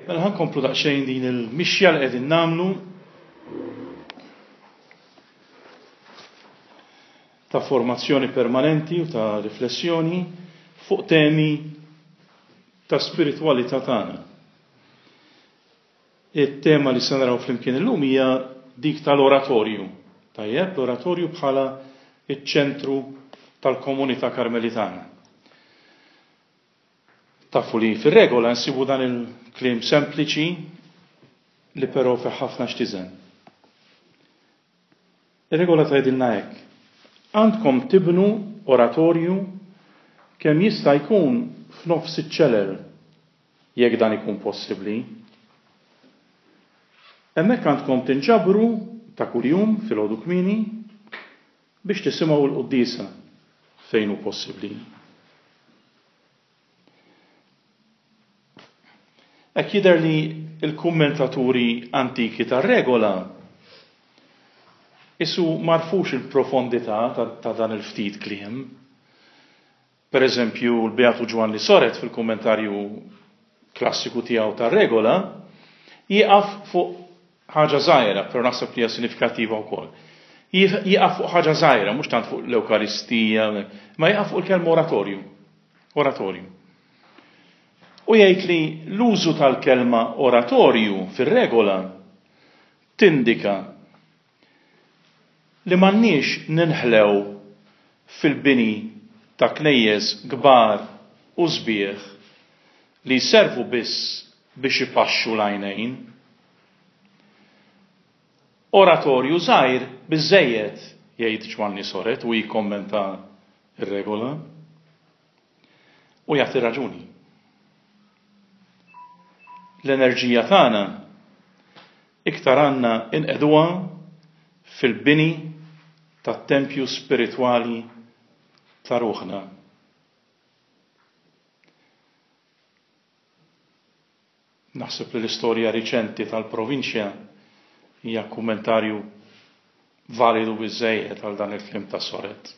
Mela ħa nkomplu daqsxejn din il-mixja li qegħdin nagħmlu ta' formazzjoni permanenti u ta' riflessjoni fuq temi ta' spiritwalità tagħna. It-tema li se naraw flimkien illum hija dik tal-oratorju. Tajjeb, l-oratorju bħala iċ-ċentru tal-komunità Karmelitana. Tafu li fir-regola nsibu dan il-kliem sempliċi li però fih ħafna x'tiżen. Ir-regola tgħidilna hekk, Għandkom tibnu oratorju kemm jista' jkun f'nofs iċ-ċelel, jekk dan ikun possibbli. Hemmhekk għandkom tinġabru ta' kuljum filgħodu kmieni biex tisimgħu l-quddiesa fejn hu possibbli. Hekk jidher li l-kummentaturi antiki tar-regola qisu m'għarfux il-profondità ta' dan il-ftit kliem. Per eżempju, l-Beatu Ġwanni Soret fil-kummentarju klassiku tiegħu tar-regola jieqaf fuq ħaġa żgħira, però naħseb li hija sinifikattiva wkoll. Jieqaf fuq ħaġa żgħira, mhux tant fuq l-Ewkaristija, ma jieqaf fuq il-kelma oratorju. Oratorju. U jgħid li l-użu tal-kelma oratorju fir-regola tindika li m'għandniex ninħlew fil-bini ta' knejjes kbar u sbieħ li jservu biss biex ipaxxu l-għajnejn. Oratorju żgħir biżżejjed, jgħid Ġwanni Soret u jikkommenta r-regola. U jagħti raġuni. L-enerġija tagħna iktar għandna inqegħduha fil-bini tat-tempju spiritwali ta' ruħna. Naħseb li l-istorja riċenti tal-provinċja hija kummentarju validu biżżejjed għal dan il-kliem ta' Soret.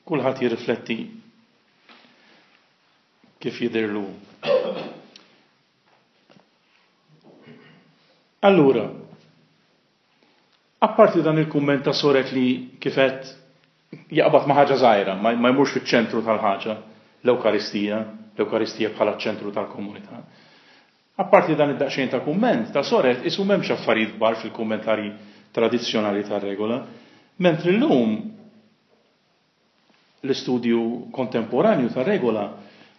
Kulħadd jirrifletti kif jidhirlu. Allura, Apparti dan il-kumment ta' Soret li kif għedt jaqbad ma' ħaġa żgħira, ma jmurx fiċ-ċentru tal-ħaġa, l-Ewkaristija, l-Ewkaristija bħala ċ-ċentru tal-komunità. Apparti dan id-daqsxejn ta' kumment ta' Soret qisu m'hemmx affarijiet kbar fil-kummentarji tradizzjonali tar-regola, mentri llum L-istudju kontemporanju tar-regola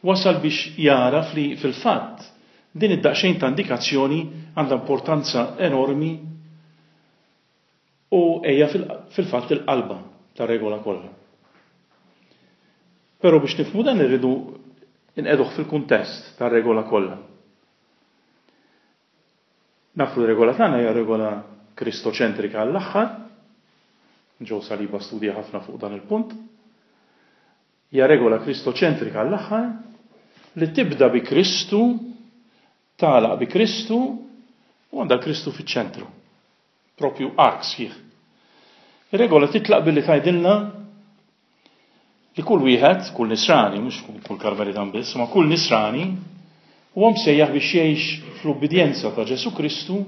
wasal biex jagħraf li fil-fatt din id-daqsxejn ta' indikazzjoni għandha importanza enormi u hija fil-fatt il-qalba tar-regola kollha. Però biex nifhmu dan irridu nqegħduh fil-kuntest tar-regola kollha. Nafu li r-regola tagħna hija regola kristoċentrika għall-aħħar. Joe Saliba studja ħafna fuq dan il-punt. Hija regola kristoċentrika għall-aħħar li tibda bi Kristu, tagħlaq bi Kristu u għandha Kristu fiċ-ċentru. Propju ark sħiħ. Ir-regola titlaq billi tgħidilna li kull wieħed, kull nisrani, mhux kull Karmelitan biss, ma kull nisrani, huwa msejjaħ biex jgħix fl-ubbidjenza ta' Ġesù Kristu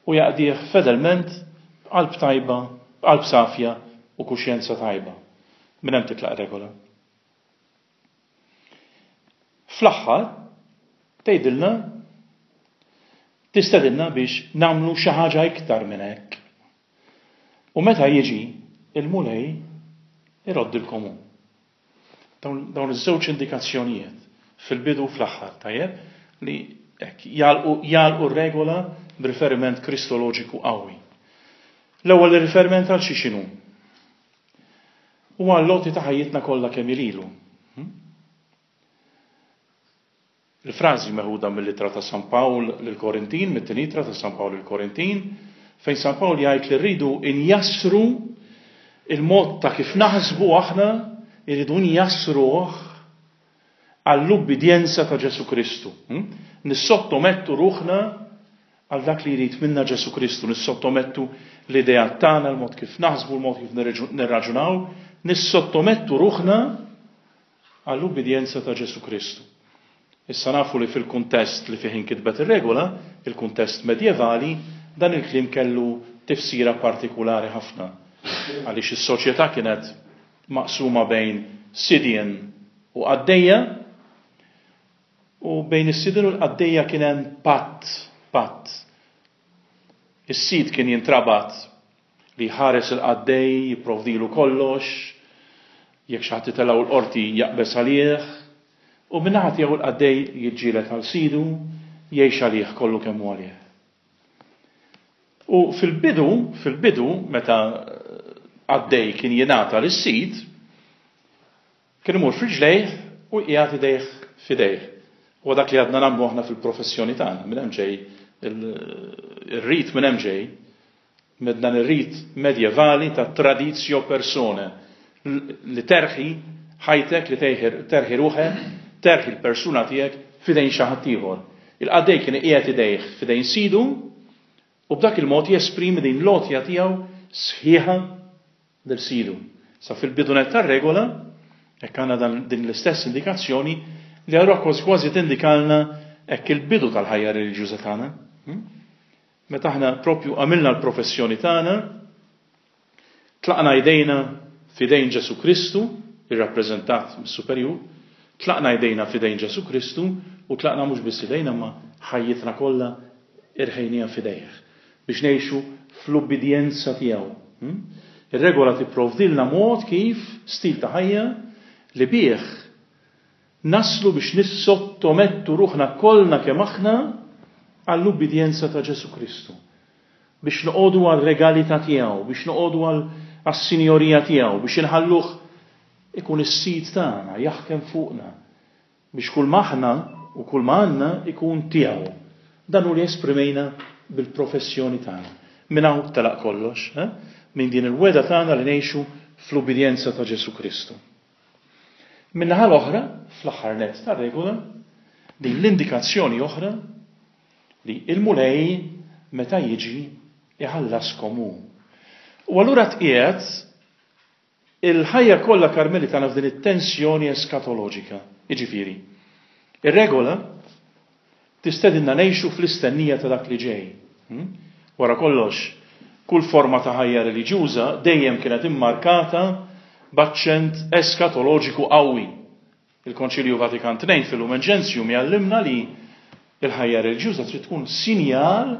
u jaqdih fedelment b'qalb tajba, b'qalb safja u kuxjenza tajba. Minn hemm titlaq regola. Fl-aħħar, tgħidilna tistedinna biex nagħmlu xi ħaġa iktar minn hekk. U meta jiġi il-Mulej iroddilkom hu. Dawn iż-żewġ indikazzjonijiet fil-bidu u fl-aħħar, tajjeb, li hekk jagħlqu r-regola b'riferiment kristoloġiku qawwi. L-ewwel riferiment għal xi x'inhu? Huwa għall-għoti ta' ħajjitna kollha kemm hi lilu. Hm? Il-frażi meħuda mill-Ittra ta' San Pawl lill-Korintin, mit-Tieni Ittra ta' San Pawl lill-Korintin, fejn San Pawl jgħid li rridu njassru il-mod ta' kif naħsbu aħna, irridu njassruh għall-ubbidjenza ta' Ġesù Kristu. Hm? Nissottomettu ruħna għal dak li jrid minna Ġesù Kristu, nissottomettu l-ideat tagħna, l-mod kif naħsbu, l-mod kif nirraġunaw, nissottomettu ruħna għall-ubbidjenza ta' Ġesù Kristu. Issa nafu li fil-kuntest li fih inkitbet ir-regola, il-kuntest medjevali, dan il-kliem kellu tifsira partikulari ħafna, għaliex is-soċjetà kienet maqsuma bejn sidien u qaddejja, u bejn is-sidien u l-qaddejja kien hemm patt, patt. Is-sid kien jintrabat li jħares il-qaddej, jipprovdilu kollox, jekk xi ħadd itellgħu l-qorti jaqbeż għalih, u min-naħa tiegħu l-qaddej jiġġieled għal sidu, jgħix għalih kollu kemm hu għalih. U fil-bidu, fil-bidu, meta qaddej kien jingħata lis-sid, Kien imur f'riġlejh u jqiegħed idejh f'idejh. Huwa dak li għadna nagħmlu aħna fil-professjoni tagħna, minn hemm ġej ir-rit minn hemm ġej, minn dan ir-rit medjevali ta' traditio persone, li terħi ħajtek, li terħi ruħek, terħi l-persuna tiegħek f'idejn xi ħadd ieħor. Il-qaddej kien iqiegħed idejh f'idejn sidu u b'dak il-mod jesprimi din l-għotja tiegħu sħiħa lil sidu. Sa fil-bidu nett tar-regola, hekk għandna dan din l-istess indikazzjoni li allura kważi kważi tindikalna hekk il-bidu tal-ħajja reliġjuża tagħna. Hmm? Meta aħna propju għamilna l-professjoni tagħna, tlaqna jdejna f'idejn Ġesu Kristu, irrappreżentat mis-superjur, tlaqna jdejna f'idejn Ġesu Kristu u tlaqna mhux biss idejna ma ħajjitna kollha irħejniha f'idejh. biex ngħixu fl-ubbidjenza tiegħu. Ir-regola tipprovdilna mod kif, stil ta' ħajja, li bih naslu biex nissottomettu ruħna kollna kemm aħna għall-ubbidjenza ta' Ġesù Kristu, biex noqogħdu għar-regalità tiegħu, biex noqogħdu għas-sinjorija tiegħu, biex inħalluh ikun is-sid tagħna, jaħkem fuqna. Biex kull ma aħna u kull ma għandna jkun tiegħu. Dan hu li esprimejna bil-professjoni tagħna. Minn hawn telaq kollox, eh? Minn din il-wegħda tagħna li ngħixu fl-ubbidjenza ta' Ġesù Kristu. Min-naħa l-oħra, fl-aħħar nett tar-regola, din l-indikazzjoni oħra li il-Mulej meta jiġi iħallaskom hu. U allura tqiegħed Il-ħajja kollha Karmelitana f'din it-tensjoni eskatoloġika. Jiġifieri, ir-regola tistedinna ngħixu fl-istennija ta' dak li ġej. Hmm? Wara kollox, kull forma ta' ħajja reliġjuża dejjem kienet immarkata b'aċċent eskatoloġiku qawwi. Il-Konċilju Vatikan II fil-Lumen Gentium jgħallimna li l-ħajja reliġjuża trid tkun sinjal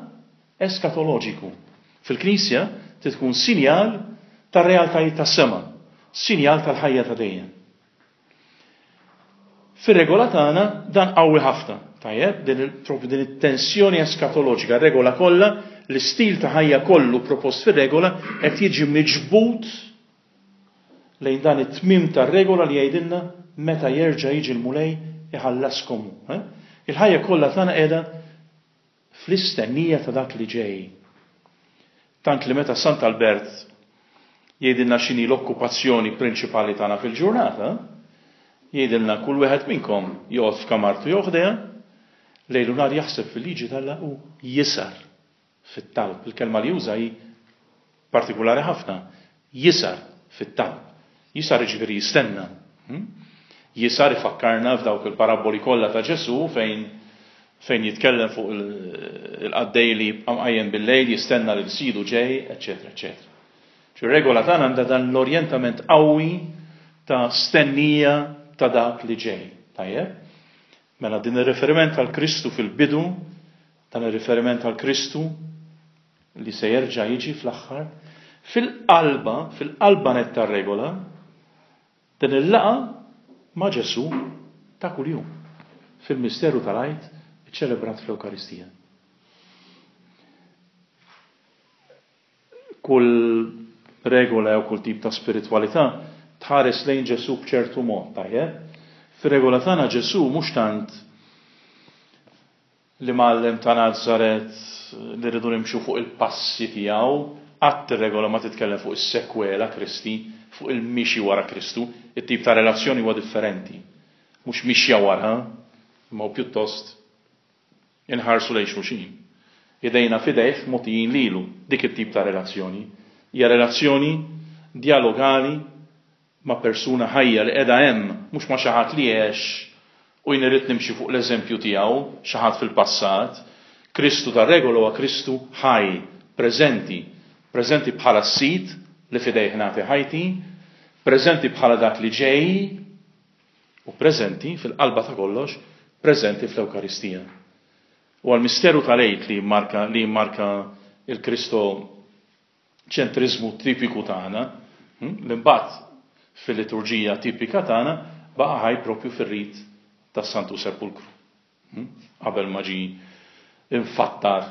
eskatoloġiku. Fil-Knisja trid tkun sinjal tar-realtajiet tas-sema, sinjal tal-ħajja ta' dejjem. Fir-regola tagħna dan qawwi ħafna, tajjeb, din propju din it-tensjoni eskatoloġika, regola kollha, l-istil ta' ħajja kollu propost fir-regola qed jiġi miġbud lejn dan it-tmiem tar-regola li jgħidilna meta jerġa' jiġi l-Mulej iħallaskom hu. Eh? Il-ħajja kollha tagħna qiegħda fl-istennija ta' dak li ġej. Tant li meta Sant Albert jgħidilna x'inhi l-okkupazzjoni prinċipali tagħna fil-ġurnata, jgħidilna kull wieħed minnkom joqgħod f'kamartu jew ħdejha, lejl u nhar jaħseb fil-liġi t'Alla u jisar fit-talb. Il-kelma li juża hi partikulari ħafna, jisar fit-talb. Jisar jiġifieri jistenna. Hmm? Jisar ifakkarna f'dawk il-parabboli kollha ta' Ġesù fejn fejn jitkellem fuq il-qaddej li jibqa' mqajjem bil-lejl jistenna lil sidu ġej, eċetera, eċetera. Ċi regola tagħna għandha dan l-orjentament qawwi ta' stennija ta' dak li ġej. Tajjeb? Mela din ir-riferiment għal Kristu fil-bidu, dan ir-riferiment għal Kristu li se jerġa' jiġi fl-aħħar, fil-qalba, fil-qalba nett tar-regola, din il-laqgħa ma' Ġesù ta' kuljum fil-misteru tal-Għid iċċelebrat fl-Ewkaristija. Kull regola jew kull tip ta' spiritwalità tħares lejn Ġesù b'ċertu mod, tajjeb? Fir-regola tagħna Ġesù mhux tant l-imgħallem ta' Nazaret li rridu nimxu fuq il-passi tiegħu, qatt ir-regola ma titkellem fuq is-sekwela Kristi, fuq il-mixi wara Kristu, it-tip ta' relazzjoni huwa differenti. Mhux mixja wara, imma hu pjuttost Inħarsu lejn xulxin. Idejna f'idejh mogħtijin lilu. Dik it-tip ta' relazzjoni. Hija relazzjoni djalogali ma' persuna ħajja li qiegħda hemm, mhux ma' xi ħadd li għex. U jien irrid nimxi fuq l-eżempju tiegħu, xi ħadd fil-passat. Kristu tar-regola huwa Kristu ħaj, preżenti, preżenti bħala s-Sid li f'idejh nagħti ħajti, preżenti bħala dak li ġej, u preżenti, fil-qalba ta' kollox, preżenti fl-Ewkaristija. Huwa l-misteru tal-Għid li jimmarka li jimmarka il-Kristo ċentriżmu tipiku tagħna, li mbagħad fil-liturġija tipika tagħna baqa' ħaj propju fir-rit tas-Santu Sepulkru, qabel ma ġie imfattar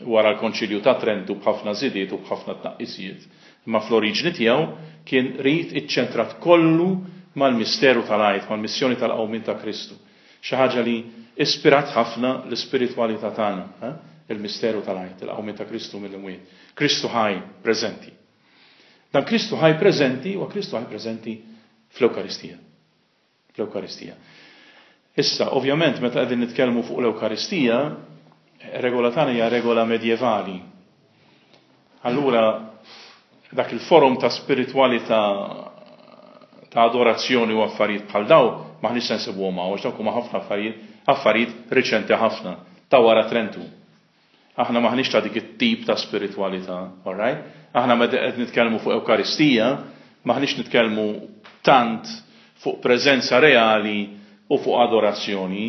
wara l-Konċilju ta' Trentu b'ħafna żidiet u b'ħafna tnaqqisijiet. Imma fl-oriġni tiegħu kien rit iċċentrat kollu mal-misteru tal-Għid, mal-missjoni tal-qawmien ta' Kristu. Xi ħaġa li ispirat ħafna l-ispiritwalità tagħna, il-misteru tal-Għid, il-qawmien ta' Kristu mill-imwiet. Kristu ħaj preżenti. Dan Kristu ħaj preżenti huwa Kristu ħaj preżenti fl-Ewkaristija. Fl-Ewkaristija. Issa, ovvjament, meta qegħdin nitkellmu fuq l-Ewkaristija, regola tagħna hija regola medjevali. Allura, dak il-forum ta' spiritwalità ta' adorazzjoni u affarijiet bħal daw m'aħniex se nsibuhom hawn għax dawk huma ħafna affarijiet affarijiet riċenti ħafna ta' wara Trentu. Aħna m'aħniex ta' dik it-tip ta' spiritwalità, all right? Aħna meta qed nitkellmu fuq Ewkaristija, m'aħniex nitkellmu tant fuq preżenza reali u fuq adorazzjoni.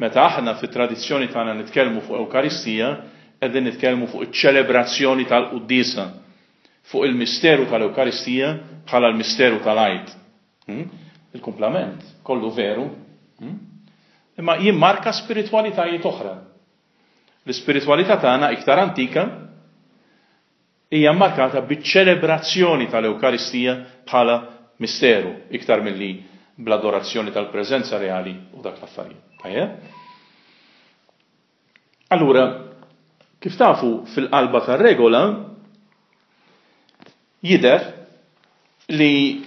Meta aħna fit-tradizzjoni tagħna nitkellmu fuq Ewkaristija, qegħdin nitkellmu fuq iċ-ċelebrazzjoni tal-quddiesa, fuq il-misteru tal-Ewkaristija bħala l-misteru tal-Għid. Hmm? Il-kumplament kollu veru, hmm? imma jimmarka spiritwalitajiet oħra. L-ispiritwalità tagħna iktar antika hija mmarkata biċ-ċelebrazzjoni tal-Ewkaristija bħala misteru iktar milli bl-adorazzjoni tal-preżenza reali u dak l-affarijiet. Tajjeb? Allura, kif tafu fil-qalba tar-regola jidher li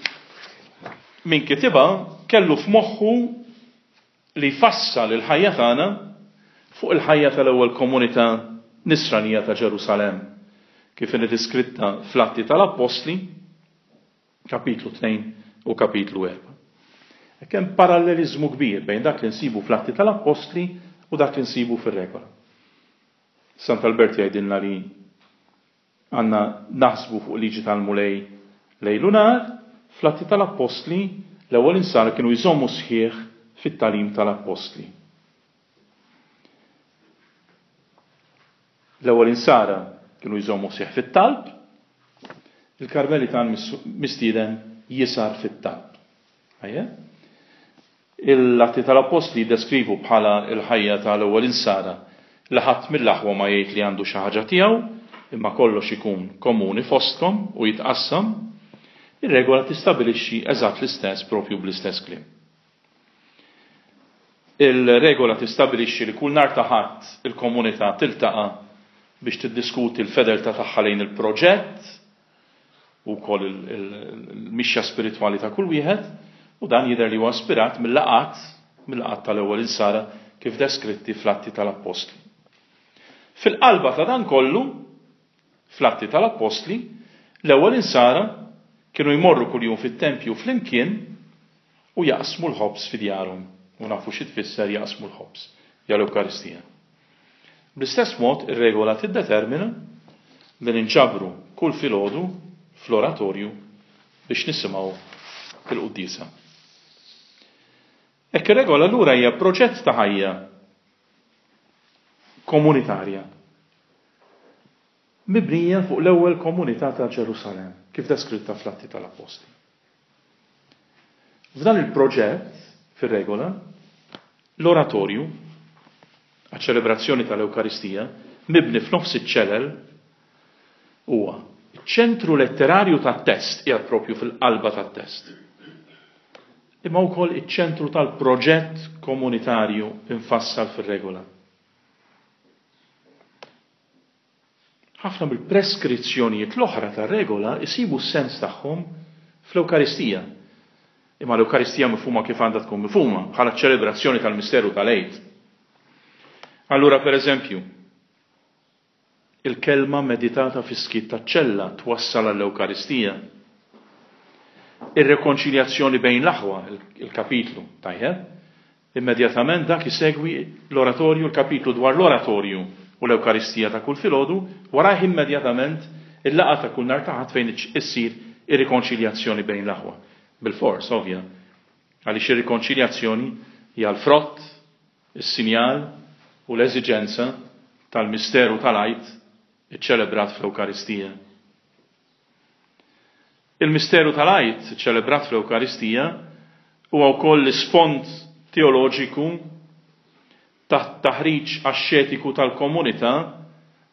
min kitibha kellu f'moħħu li jfassal il-ħajja tagħna fuq il-ħajja tal-ewwel komunità Nisranija ta' Ġerusalemm, kif inhi diskritta fl-Atti tal-Appostli, kapitlu 2 u kapitlu 4. Hekk hemm paralleliżmu kbir bejn dak li nsibu fl-Atti tal-Appostli u dak li nsibu fir-regola. Sant'Albert jgħidilna li Għandna naħsbu fuq liġi tal-Mulej lejl u nhar. Fl-Atti tal-Appostli, l-ewwel Insara kienu jżommu sħiħ fit-tagħlim tal-Appostli. L-ewwel Insara kienu jżommu sħiħ fit-talb. Il-Karmelitan mistieden jisar fit-talb. Ejja? Il-Atti tal-Appostli jiddeskrivu bħala l-ħajja ta' l-ewwel Insara li ħadd mill-aħwa ma jgħid li għandu xi ħaġa tiegħu, imma kollox ikun komuni fostkom u jitqassam. Ir-regola tistabilixxi eżatt l-istess proprju bl-istess kliem. Il-regola tistabilixxi li kull nhar ta' Ħadd il-komunità tiltaqa' biex tiddiskuti l-fedeltà tagħha lejn il-proġett, u wkoll il-mixja spiritwali ta' kull wieħed, u dan jidher li huwa ispirat mil-laqgħat mil-laqgħat tal-ewwel insara kif deskritti fl-Atti tal-Appostli. Fil-qalba ta' dan kollu, fl-Atti tal-Appostli, l-ewwel insara kienu jmorru kuljum fit-tempju flimkien u jaqsmu l-ħobż fi djarhom. U nafu xi tfisser jaqsmu l-ħobż, hija l-Ewkaristija. Bl-istess mod ir-regola tiddetermina li ninġabru kull filgħodu fl-oratorju biex nisimgħu il-quddiesa. Hekk ir-regola allura hija proġett ta' ħajja komunitarja mibnija fuq l-ewwel komunità ta' Ġerusalemm, kif deskritta fl-Atti tal-Appostli. F'dan il-proġett, fir-regola, l-oratorju għaċ-ċelebrazzjoni tal-Ewkaristija, mibni f'nofs iċ-ċelel, huwa ċ-ċentru letterarju tat-test, qiegħed proprju fil-qalba tat-test, imma wkoll iċ-ċentru tal-proġett komunitarju mfassal fir-regola. Ħafna mill-preskrizzjonijiet l-oħra tar-regola jsibu s-sens tagħhom fl-Ewkaristija. Imma l-Ewkaristija mifhuma kif għandha tkun mifhuma, bħala ċ-ċelebrazzjoni tal-misteru tal-Għid. Allura, per eżempju, il-kelma meditata fis-skiet taċ-ċella twassal għall-Ewkaristija. Ir-rekonċiljazzjoni bejn l-aħwa, il-kapitlu, tajjeb? Immedjatament dak isegwi l-oratorju, l-kapitlu dwar l-oratorju u l-Ewkaristija ta' kull filgħodu, warajh immedjatament il-laqgħa ta' kull nhar ta' Ħadd fejn issir ir-rikonċiljazzjoni bejn l-aħwa. Bilfors, ovvja, għaliex ir-rikonċiljazzjoni hija l-frott, is-sinjal u l-eżiġenza tal-misteru tal-Għid iċċelebrat fl-Ewkaristija. Il-misteru tal-Għid ċelebrat fl-Ewkaristija huwa wkoll l-isfond teoloġiku tat-taħriġ axxetiku tal-komunità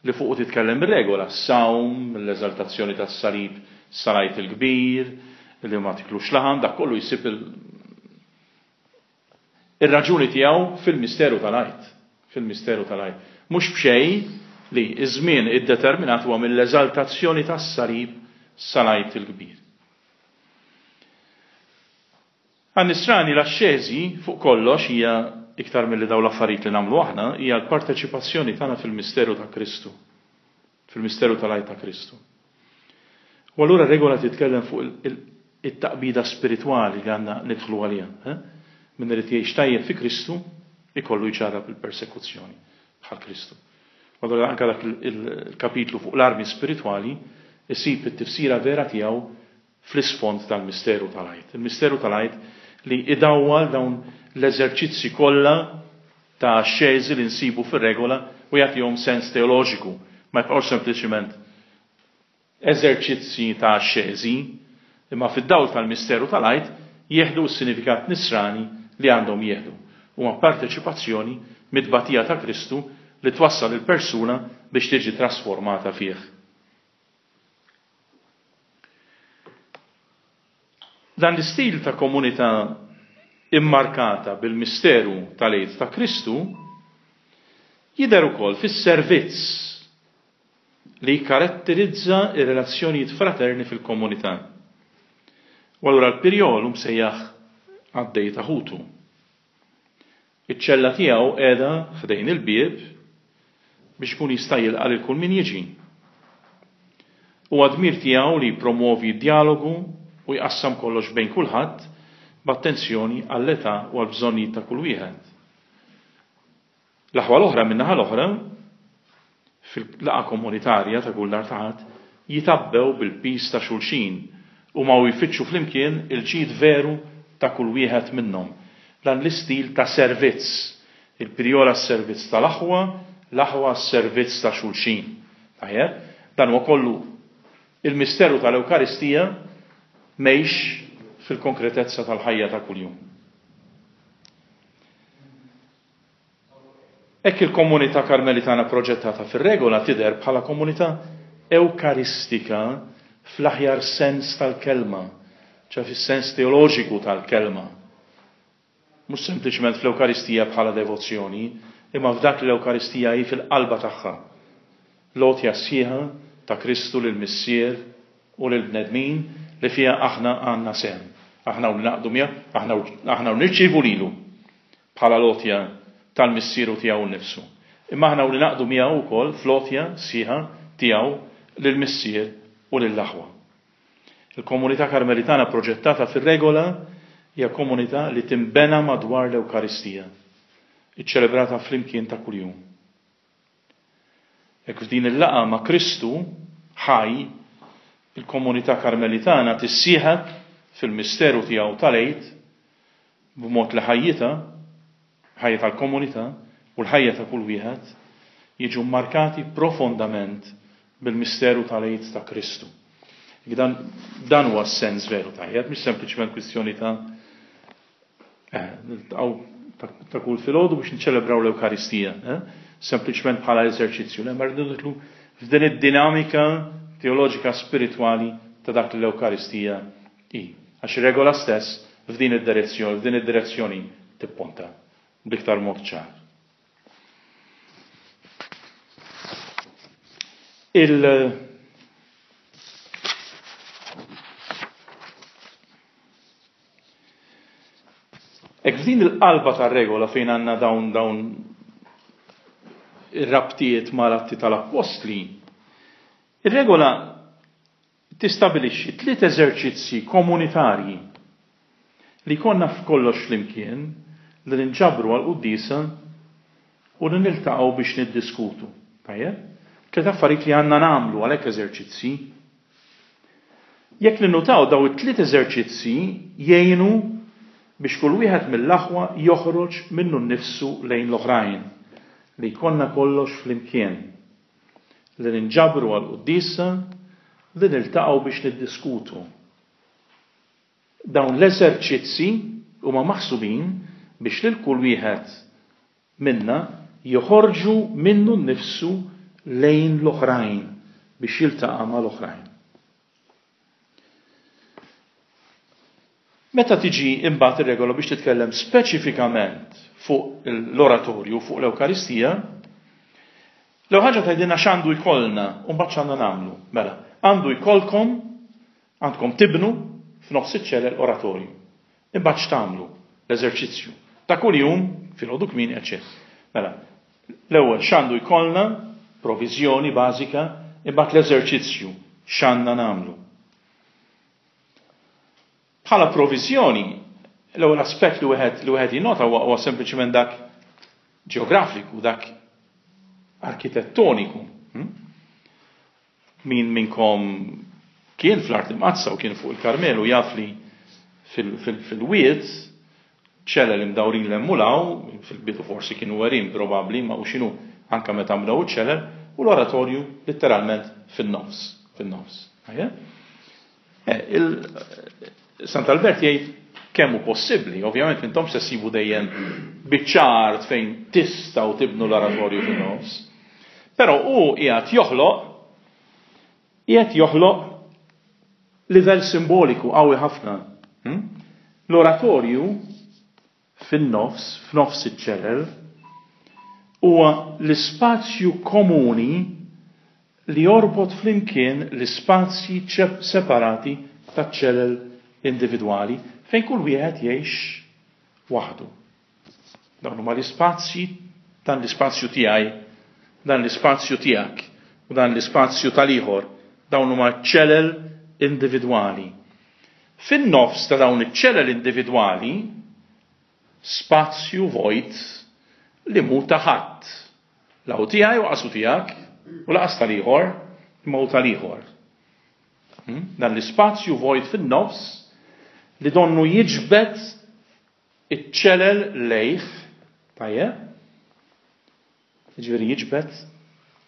li fuqu titkellem ir-regola, s-sawm, l-eżaltazzjoni tas-salib sal-Għid il-Kbir, li ma tiklux laħam, dak kollu jsib Ir-raġuni tiegħu fil-misteru tal-Għid. Fil-misteru tal-Għid. Mhux b'xejn li ż-żmien iddeterminat huwa mill-eżaltazzjoni tas-salib sal-Għid il-Kbir. Għan-Nisrani l-axxeżi fuq kollox hija iktar milli dawn l-affarijiet li nagħmlu aħna, hija l-parteċipazzjoni tagħna fil-misteru ta' Kristu. Fil-misteru tal-Għid ta' Kristu. U allura regola titkellem fuq it-taqbida spiritwali li għandna nidħlu għaliha. Eh? Min irid jgħix tajjeb fi Kristu, ikollu jġarrab il-persekuzzjoni bħal Kristu. U allura anke dak il-kapitlu fuq l-armi spiritwali isib it-tifsira vera tiegħu fl-isfond tal-misteru tal-Għid. Il-misteru tal-Għid li idawwal dawn l-eżerċizzi kollha ta' axxeżi li nsibu fir-regola u jagħtihom sens teoloġiku, ma jibqgħux sempliċiment eżerċizzi ta' axxeżi, imma fid-dawl tal-misteru tal-Għid jieħdu s-sinifikat nisrani li għandhom jieħdu. Huma parteċipazzjoni mit-tbatija ta' Kristu li twassal il-persuna biex tiġi trasformata fih. Dan l-istil ta' komunità immarkata bil-misteru tal-Għid ta' Kristu jidher ukoll fis-servizz li jikkaratterizza r-relazzjonijiet fraterni fil-komunità. U allura l-pirjol hu msejjaħ qaddej ta' ħutu. Iċ-ċella tiegħu qiegħda ħdejn il-bieb biex ikun jista' jilqa' lil kull min jiġi. Huwa dmir tiegħu li jippromwovi d-djalogu u jqassam kollox bejn kulħadd b'attenzjoni għall-età u għall-bżonnijiet ta' kull wieħed. L-aħwa l-oħra min-naħa l-oħra, fil-laqgħa komunitarja ta' kull nhar ta' Ħadd, jitgħabbew bil-piż ta' xulxin, huma u jfittxu flimkien il-ġid veru ta' kull wieħed minnhom. Dan l-istil ta' servizz, il-pirjol għas-servizz tal-aħwa, l-aħwa għas-servizz ta' xulxin. Tajjeb? Dan huwa kollu il-misteru tal-Ewkaristija mgħix fil-konkretezza tal-ħajja ta' kuljum. Hekk il-komunità Karmelitana proġettata fir-regola tidher bħala komunità ewkaristika fl-aħjar sens tal-kelma, ċe fis-sens teoloġiku tal-kelma. Mhux sempliċement fl-Ewkaristija bħala devozzjoni, imma f'dak li l-Ewkaristija hi fil-qalba tagħha. L-għotja sħiħa ta' Kristu lill-Missier u lill-bnedmin li fiha aħna għandna sehem. Aħna u ningħaqdu miegħu, aħna u nirċievu lilu bħala l-għotja tal-Missier u tiegħu nnifsu. Imma aħna u ningħaqdu miegħu wkoll fl-għotja sħiħa tiegħu lill-Missier u lill-aħwa. Il-komunità Karmelitana proġettata fir-regola hija komunità li tinbena madwar l-Ewkaristija, iċċelebrata flimkien ta' kuljum. Hekk f'din il-laqgħa ma' Kristu ħaj, il-komunità Karmelitana tissieħeb fil-misteru tiegħu tal-Għid b'mod li ħajjitha, ħajja tal-komunità u l-ħajja ta' kull wieħed jiġu mmarkati profondament bil-misteru tal-Għid ta' Kristu. Dan, dan huwa s-sens veru tajjeb, mhix sempliċement kwistjoni ta' Eh, niltaqgħu ta' kull filgħodu biex niċċelebraw l-Ewkaristija, eh? sempliċement bħala eżerċizzju, le ma rridu nidħlu f'din id-dinamika teoloġika spiritwali ta' dak li l-Ewkaristija hi. Għax ir-regola stess f'din id-direzzjoni, f'din id-direzzjoni tipponta b'iktar mod ċar. Il Hekk f'din il-qalba tar-regola fejn għandna dawn dawn ir-rabtiet mal-Atti tal-Appostli, ir-regola tistabilixxi tliet eżerċizzji komunitarji li jkollna f'kollox flimkien Li ninġabru għall-quddiesa u li niltaqgħu biex niddiskutu. Tajjeb? Tliet affarijiet li għandna nagħmlu għalhekk eżerċizzji. Jekk ninnutaw daw it-tliet eżerċizzji jgħinu biex kull wieħed mill-aħwa joħroġ minnu nnifsu lejn l-oħrajn, li jkollna kollox flimkien, li ninġabru għall-quddiesa, li niltaqgħu biex niddiskutu. Dawn l-eżerċizzi huma maħsubin biex lil kull wieħed minna joħorġu minnu nnifsu lejn l-oħrajn biex jiltaqa' mal-oħrajn. Meta tiġi imbagħad ir-regola biex titkellem speċifikament fuq l-oratorju, fuq l-Ewkaristija, l-ewwel ħaġa tgħidilna x'għandu jkollna u mbagħad x'għandna nagħmlu. Mela, għandu jkollkom Għandkom tibnu f'nofs iċ-ċelel oratorju. Imbagħad x'tagħmlu? L-eżerċizzju. Ta' kuljum, filgħodu kmieni, eċċetera. Mela, l-ewwel x'għandu jkollna, proviżjoni bażika, imbagħad l-eżerċizzju, x'għandna nagħmlu. Bħala proviżjoni, l-ewwel aspett li wieħed li wieħed jinnota huwa huwa sempliċement dak ġeografiku, dak arkitettoniku. Hmm? Min minnkom kien fl-Art Imqaddsa u kien fuq il-Karmelu jaf li fil-wied ċelel imdawrin 'l hemm u 'l hawn, fil-bidu forsi kienu għerien probabbli, imma hu x'inhu anke meta nbnew iċ-ċelel, u l-oratorju litteralment fin-nofs, fin-nofs. Eh, Sant'Albert jgħid kemm hu possibbli, ovvjament intom se ssibu dejjem biċċa art fejn tistgħu tibnu l-oratorju fin-nofs. Però hu qiegħed joħloq qiegħed joħloq livell simboliku qawwi ħafna. Hmm? L-oratorju fin-nofs, f'nofs iċ-ċelel, huwa l-ispazju komuni li jorbot flimkien l-ispazji separati taċ-ċelel individwali fejn kull wieħed jgħix waħdu. Dawn huma l-ispazji, dan l-ispazju tiegħi, dan l-ispazju tiegħek u dan l-ispazju tal-ieħor. Dawn huma ċelel individwali. Fin-nofs ta' dawn iċ-ċelel individwali, spazju vojt li mhu ta' ħadd. La hu tiegħi u laqas hu tiegħek, u laqas tal-ieħor, imma hu tal-ieħor. Hmm? Dan l-ispazju vojt fin-nofs li donnu jiġbed iċ-ċelel lejh, tajjeb, Jiġifieri jiġbed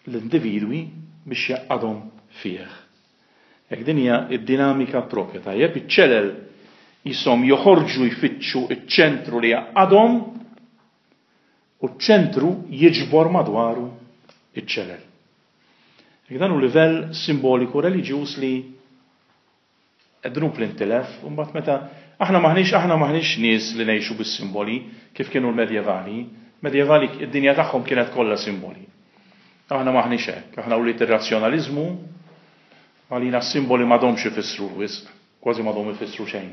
l-individwi biex jgħaqqadhom fih. Hekk din hija d-dinamika proprja, tajjeb, iċ-ċelel qishom joħorġu jfittxu ċ-ċentru li jgħaqqadhom u ċ-ċentru jiġbor madwaru ċ-ċelel. Hekk dan hu livell simboliku reliġjuż li Dnub li ntilef, u mbagħad meta aħna m'aħniex aħna m'aħniex nies li ngħixu bis-simboli kif kienu l-medjevali. Medjevali id-dinja tagħhom kienet kollha simboli. Aħna m'aħniex hekk, aħna wlied ir-razzjonaliżmu, għalina s-simboli m'għadhomx ifissru wisq, kważi m'għadhom ifissru xejn.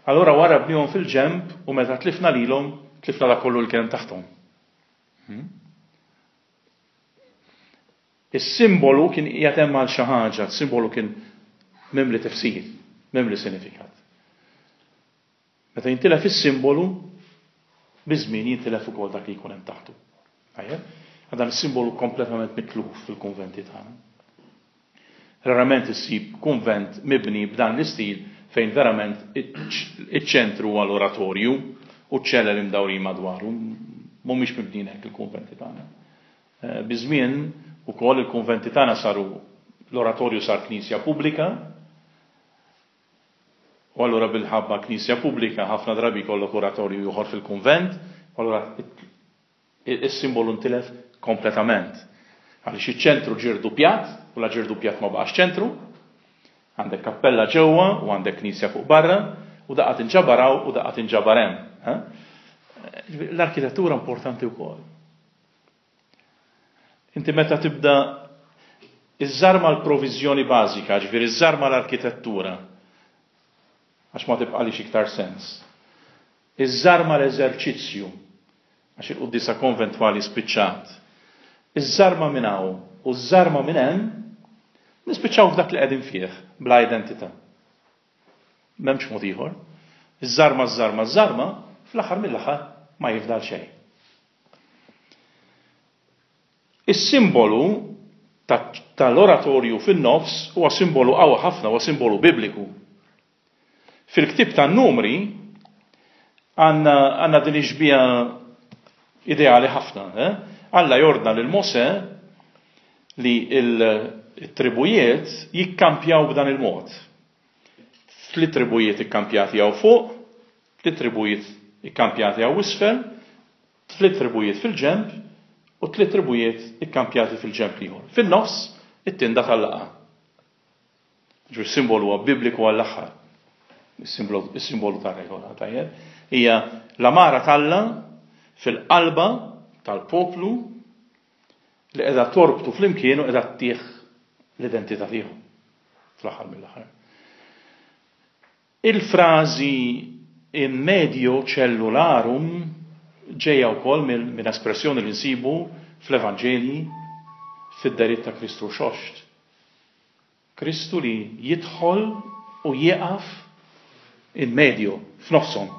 Allura warrabnihom fil-ġenb u meta tlifna lilhom, tlifna dak kollu li kien hemm taħthom. Hmm? Is-simbolu kien qiegħed hemm għal xi ħaġa, is-simbolu kien mimli tifsir, mimli sinifikat. Meta jintilef is-simbolu, biż-żmien jintilef ukoll dak li jkun hemm taħtu. Tajjeb? Dan is-simbolu kompletament mitluf fil-kunventi tagħna. Rarament issib kunvent mibni b'dan l-istil fejn verament iċ-ċentru huwa l-oratorju u ċ-ċelel imdawrin madwaru. Mhumiex mibnijin hekk il-kunventi tagħna. Biż-żmien ukoll il-kunventi tagħna saru l-oratorju sar knisja pubblika u allura bil-ħabba knisja pubblika ħafna drabi jkollok oratorju ieħor fil-kunvent u allura is-simbolu ntilef kompletament. Għaliex iċ-ċentru ġie rdupjat u la ġie rdupjat ma baqax ċentru. Għandek kappella ġewwa u għandek knisja fuq barra u daqqa tinġabar hawn u daqqa tinġabar hemm. L-arkitettura importanti wkoll. Inti meta tibda iżżarma l-proviżjoni bażika, ġifieri iżżarma l-arkitettura, għax ma tibqalix iktar sens. Iżżarma l-eżerċizzju, għax il-quddiesa konventwali spiċċat. Iżżarma minn hawn u żżarma minn hemm, nispiċċaw f'dak li qegħdin fih bla identità. M'hemmx mod ieħor. Iżżarma, żżarma, żżarma, fl-aħħar mill-aħħar ma jifdal xejn. Is-simbolu tal-oratorju fin-nofs huwa simbolu qawwi ħafna, huwa simbolu bibliku. Fil-ktieb tan-Numri għandna din ix-xbieha ideali ħafna. Eh? Alla jordna lil Mosè li l-tribujiet jikkampjaw b'dan il-mod. Tliet tribujiet ikkampjati hawn fuq, tliet tribujiet ikkampjati hawn isfel, tliet tribujiet fil-ġenb u tliet tribujiet ikkampjati fil-ġenb l-ieħor. Fin-nofs it-tinda tal-laqgħa. Ġifieri s-simbolu huwa bibliku għall-aħħar. Is-simbolu tar-regola, tajjeb. Hija l-amara t'Alla fil-qalba tal-poplu li qiegħda torbtu flimkien u qiegħda ttih l-identità tiegħu fl-aħħar mill-aħħar. Il-frażi in medio cellularum ġejja wkoll minn espressjoni li nsibu fl-Evanġelji fid-dehriet ta' Kristu Rxoxt. Kristu li jidħol u jieqaf in medio, f'nofshom.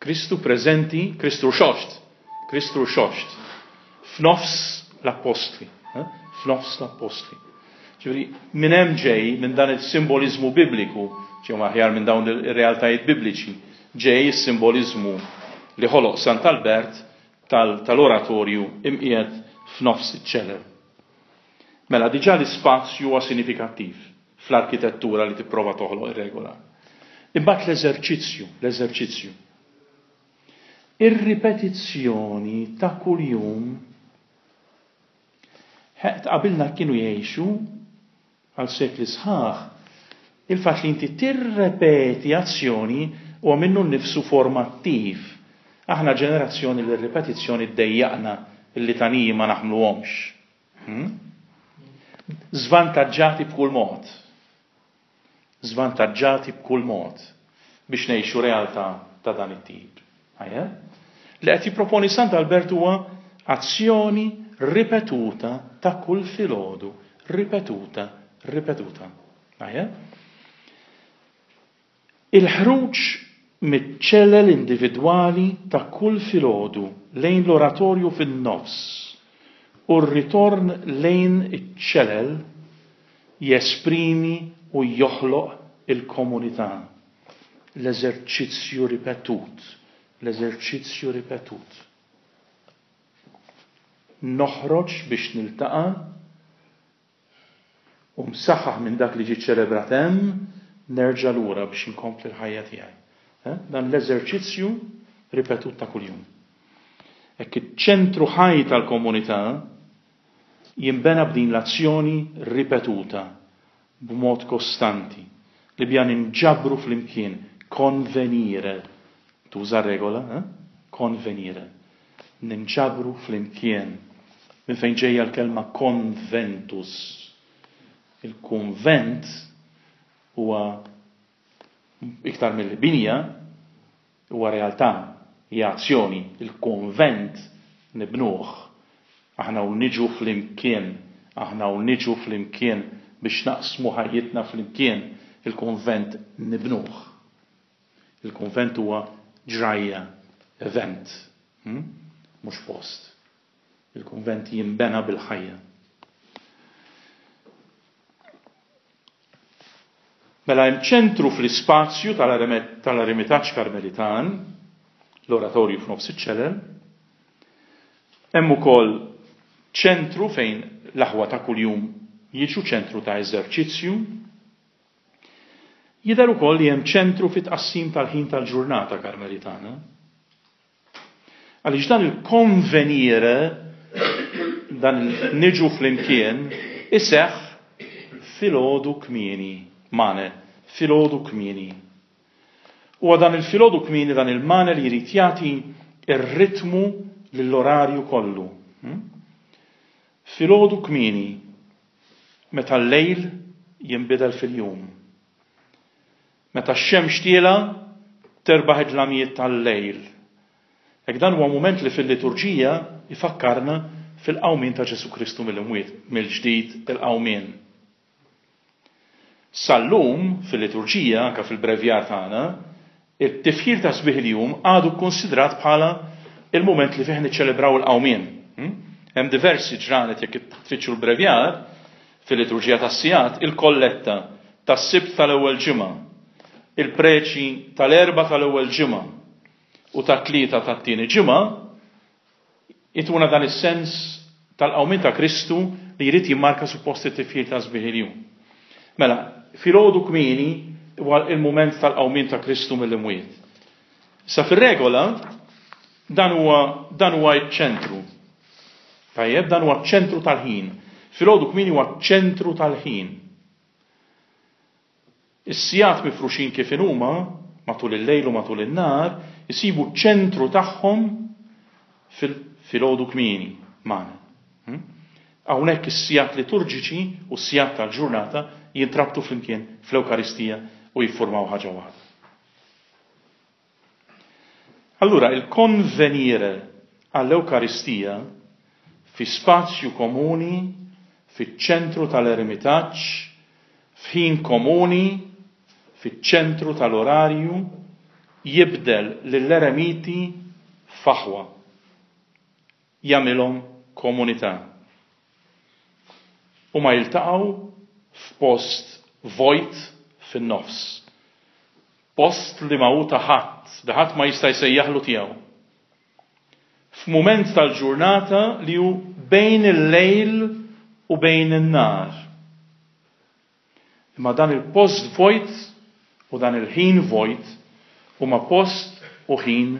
Kristu preżenti, Kristu Rxoxt, Kristu Rxoxt, f'nofs l-appostli, eh? f'nofs l-appostli. Ġifieri, minn hemm ġej, minn dan il-simboliżmu bibliku, ġew aħjar minn dawn ir-realtajiet bibliċi, ġej is-simboliżmu li ħoloq Sant'Albert tal-oratorju imqiegħed f'nofs iċ-ċelel. Mela diġà l-ispazju huwa sinifikattiv fl-arkitettura li tipprova toħloq ir-regola. Imbagħad l-eżerċizzju, l-eżerċizzju. Ir-ripetizzjoni ta' kuljum qabilna kienu jgħixu għal sekli sħaħ, il-fatt li inti tirrepeti azzjoni huwa minnu nnifsu formattiv. Aħna ġenerazzjoni li r-ripetizzjoni ddejjaqna, il-litaniji ma naħmluhomx. Hmm? Żvantaġġati b'kull mod. Żvantaġġati b'kull mod biex ngħixu realtà ta' dan it-tip. Li qed jipproponi Sant Albert huwa azzjoni ripetuta ta' kull filgħodu, ripetuta, ripetuta. Il-ħruġ miċ-ċelel individwali ta' kull filgħodu lejn l-oratorju fin-nofs u r-ritorn lejn iċ-ċelel jesprimi u joħloq il-komunità. L-eżerċizzju ripetut, l-eżerċizzju ripetut. Noħroġ biex niltaqa' u msaħħaħ minn dak li ġie ċelebrat hemm, nerġa' lura biex inkompli l-ħajja tiegħi. Eh? Dan l-eżerċizzju ripetut ta' kuljum. Hekk iċ-ċentru ħaj tal-komunità jinbena b'din l-azzjoni ripetuta b'mod kostanti li biha ninġabru flimkien, konvenire, tuża r-regola, eh? Konvenire. Ninġabru flimkien. Minn fejn ġejja l-kelma konventus. Il-kunvent huwa iktar milli binja, Huwa realtà, hija azzjoni, il-kunvent nibnuh. Aħna u niġu flimkien, aħna u niġu flimkien biex naqsmu ħajjitna flimkien, il-kunvent nibnuh. Il-kunvent huwa ġrajja, event, hm? mhux post. Il-kunvent jinbena bil-ħajja. Mela hemm ċentru fl-ispazju tal-Eremitaġġ Karmelitan, l-oratorju f'nofs iċ-ċelel. Hemm ukoll ċentru fejn l-aħwa ta' kuljum jiġu ċentru ta' eżerċizzju. Jidher ukoll li hemm ċentru fit-tqassim tal-ħin tal-ġurnata Karmelitana. Għaliex dan il-konvenire, dan il-niġu flimkien, iseħħ filgħodu kmieni, mane, filgħodu kmieni. Huwa dan il-filgħodu kmieni dan il-mane li jrid jagħti r-ritmu lill-orarju kollu. Hmm? Filgħodu kmieni, meta l-lejl jinbidel fil-jum. Meta x-xemx tielgħa, terbaħ id-dlamijiet tal-lejl. Hekk dan huwa mument li fil-liturġija jfakkarna fil-qawmien ta' Ġesù Kristu mill-imwiet, mill-ġdid il-qawmien. Sal-lum, fil-liturġija, anke fil-brevjar tagħna, It-tifħir ta' sbieħ il-jum għadu kkunsidrat bħala il-mument li fih niċċelebraw il-qawmien. Hmm? Hemm diversi ġranet jekk tfittxu l-brevjar fil-liturġija tas-sigħat, il-kolletta tas-Sibt tal-ewwel ġimgħa, il-preċi tal-Erbgħa tal-ewwel ġimgħa u tat-Tlieta tat-tieni ġimgħa Ituna dan is-sens tal-qawmien ta' Kristu li jrid jimmarka suppost it-tifħir ta' sbieħ il-jum. Mela, filgħodu kmieni huwa il-mument tal-qawmien ta' Kristu mill-imwiet. Issa fir-regola dan huwa dan huwa ċ-ċentru. Tajjeb, dan huwa ċ-ċentru tal-ħin. Filgħodu kmieni huwa ċ-ċentru tal-ħin. Is-sigħat mifruxin kif inhuma, matul il-lejl u matul in-nhar, isibu ċ-ċentru tagħhom fil-filgħodu kmieni magħna. Hmm? Hawnhekk is-sigħat liturġiċi u s-sigħat tal-ġurnata jintrabtu flimkien fl-Ewkaristija u jiffurmaw ħaġa waħda. Allura il-konvenire għall-Ewkaristija fi spazju komuni fiċ-ċentru tal-eremitaġġ, f'ħin komuni fiċ-ċentru tal-orarju jibdel lill-eremiti f'aħwa. Jagħmilhom komunità. Huma jiltaqgħu f'post vojt fin-nofs. Post li ma hu ta' ħadd, li ħadd ma jista' jsejjaħlu tiegħu. F'mument tal-ġurnata li hu bejn il-lejl u bejn in-nhar. Imma dan il-post vojt u dan il-ħin vojt huma post u ħin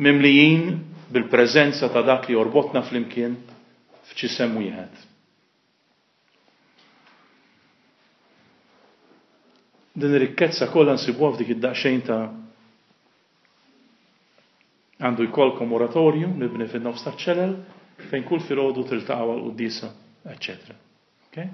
mimlijin bil-preżenza ta' dak li jorbotna flimkien f'ġisem wieħed. Din ir-rikkezza kollha nsibuha f'dik id-daqsxejn ta' għandu jkollkom oratorju mibni fin-nofs taċ-ċelel fejn kull filgħodu tiltaqgħu għall-quddiesa, eċċetera. Okay?